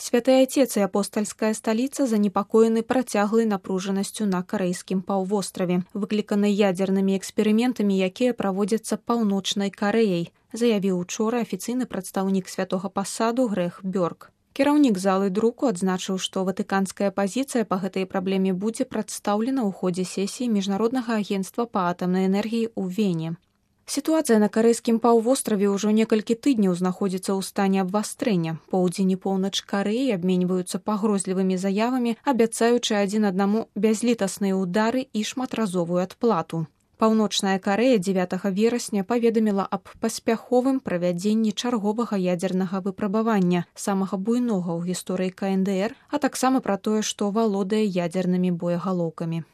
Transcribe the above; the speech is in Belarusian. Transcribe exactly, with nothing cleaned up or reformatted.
Святы Отец і апостальская сталіца занепакоены працяглай напружанасцю на карэйскім паўвостраве, выкліканай ядзернымі эксперыментамі, якія праводзяцца паўночнай Карэяй, заявіў учора афіцыйны прадстаўнік святога пасаду Грэх Бёрк. Кіраўнік залы друку адзначыў, што ватыканская пазіцыя па гэтай праблеме будзе прадстаўлена ў ходзе сесіі Міжнароднага агенцтва па атамнай энергіі ў Вене. Сітуацыя на карэйскім паўвостраве ўжо некалькі тыдняў знаходзіцца ў стане абвастрэння. Поўдзень і поўнач Карэі абменьваюцца пагрозлівымі заявамі, абяцаючы адзін аднаму бязлітасныя ўдары і шматразовую адплату. Паўночная Карэя дзевятага верасня паведаміла аб паспяховым правядзенні чарговага ядзернага выпрабавання, самага буйнога ў гісторыі ка эн дэ эр, а таксама пра тое, што валодае ядзернымі боегалоўкамі.